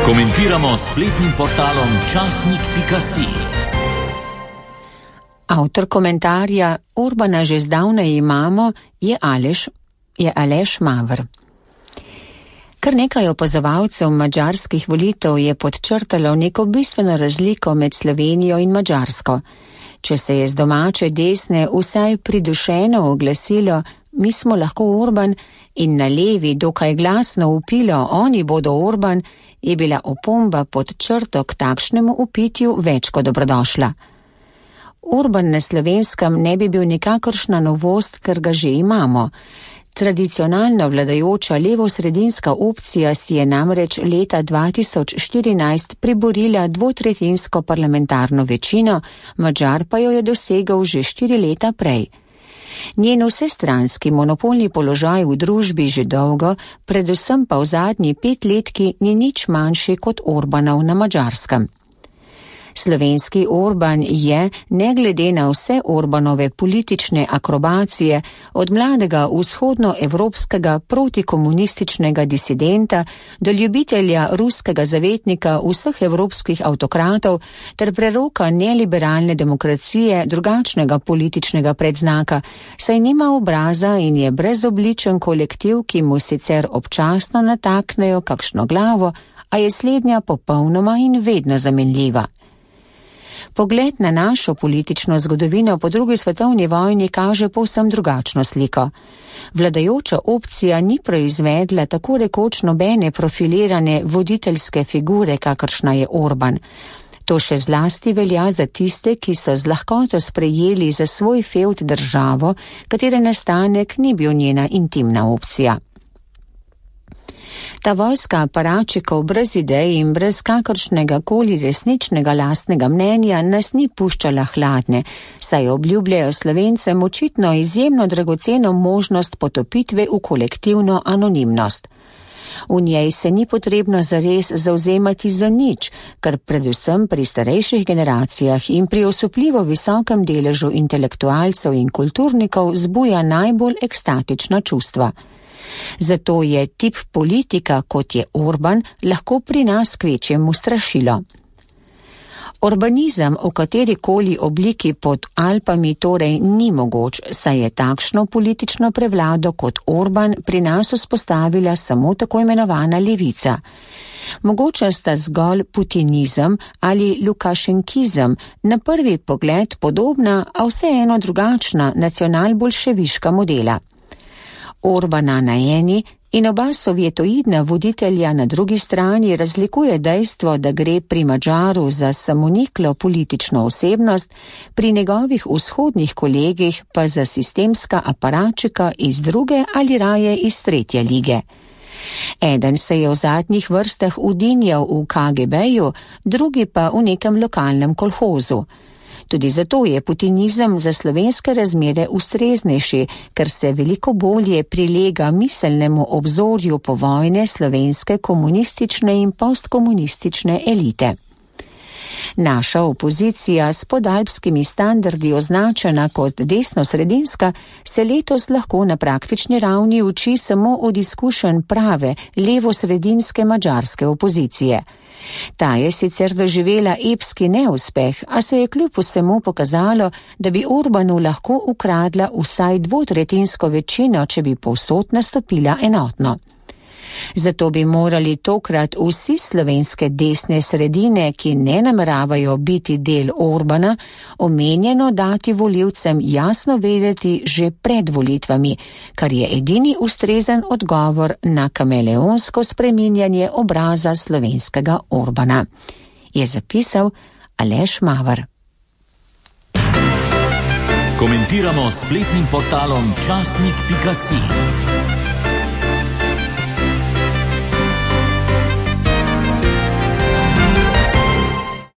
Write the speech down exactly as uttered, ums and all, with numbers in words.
Komentiramo s spletnim portalom časnik pika si. Avtor komentarja Orbana že zdavnaj imamo je Aleš, je Aleš Maver. Kar nekaj opazovalcev madžarskih volitev je podčrtalo neko bistveno razliko med Slovenijo in Madžarsko. Če se je z domače desne vsaj pridušeno oglasilo, mi smo lahko Orban, in na levi dokaj glasno vpilo, oni bodo Orban, je bila opomba pod črto k takšnemu vpitju več kot dobrodošla. Orban na Slovenskem ne bi bil nikakršna novost, ker ga že imamo. Tradicionalno vladajoča levo-sredinska opcija si je namreč leta dva tisoč štirinajst priborila dvotretjinsko parlamentarno večino, Madžar pa jo je dosegel že štiri leta prej. Njen vsestranski monopolni položaj v družbi že dolgo, predvsem pa v zadnji petletki ni nič manjši kot Orbanov na Madžarskem. Slovenski Orban je, ne glede na vse Orbanove politične akrobacije, od mladega vzhodnoevropskega protikomunističnega disidenta do ljubitelja ruskega zavetnika vseh evropskih avtokratov ter preroka neliberalne demokracije drugačnega političnega predznaka, saj nima obraza in je brezobličen kolektiv, ki mu sicer občasno nataknejo kakšno glavo, a je slednja popolnoma in vedno zamenljiva. Pogled na našo politično zgodovino po drugi svetovni vojni kaže povsem drugačno sliko. Vladajoča opcija ni proizvedla tako rekoč nobene profilirane voditeljske figure, kakršna je Orban. To še zlasti velja za tiste, ki so z lahkoto sprejeli za svoj fevd državo, katere nastanek ni bil njena intimna opcija. Ta vojska aparačikov brez idej in brez kakršnega koli resničnega lastnega mnenja nas ni puščala hladne, saj obljubljajo Slovencem očitno izjemno dragoceno možnost potopitve v kolektivno anonimnost. V njej se ni potrebno zares zavzemati za nič, kar predvsem pri starejših generacijah in pri osupljivo visokem deležu intelektualcev in kulturnikov zbuja najbolj ekstatična čustva. Zato je tip politika, kot je Orban, lahko pri nas kvečjemu strašilo. Orbanizem v katerikoli obliki pod Alpami torej ni mogoč, saj je takšno politično prevlado kot Orban pri nas vzpostavila samo tako imenovana levica. Mogoče sta zgolj putinizem ali lukašenkizem, na prvi pogled podobna, a vseeno drugačna nacionalbolševiška modela. Orbana na eni in oba sovjetoidna voditelja na drugi strani razlikuje dejstvo, da gre pri Madžaru za samoniklo politično osebnost, pri njegovih vzhodnih kolegih pa za sistemska aparačika iz druge ali raje iz tretje lige. Eden se je v zadnjih vrstah udinjal v K G B-ju, drugi pa v nekem lokalnem kolhozu. Tudi zato je putinizem za slovenske razmere ustreznejši, ker se veliko bolje prilega miselnemu obzorju povojne slovenske komunistične in postkomunistične elite. Naša opozicija s podalpskimi standardi označena kot desno-sredinska se letos lahko na praktični ravni uči samo od izkušenj prave levo-sredinske madžarske opozicije. Ta je sicer doživela epski neuspeh, a se je kljub vsemu pokazalo, da bi Orbanu lahko ukradla vsaj dvotretjinsko večino, če bi povsod nastopila enotno. Zato bi morali tokrat vsi slovenske desne sredine, ki ne nameravajo biti del Orbana, omenjeno dati volivcem jasno vedeti že pred volitvami, kar je edini ustrezen odgovor na kameleonsko spreminjanje obraza slovenskega Orbana, je zapisal Aleš Maver. Komentiramo s spletnim portalom časnik pika si.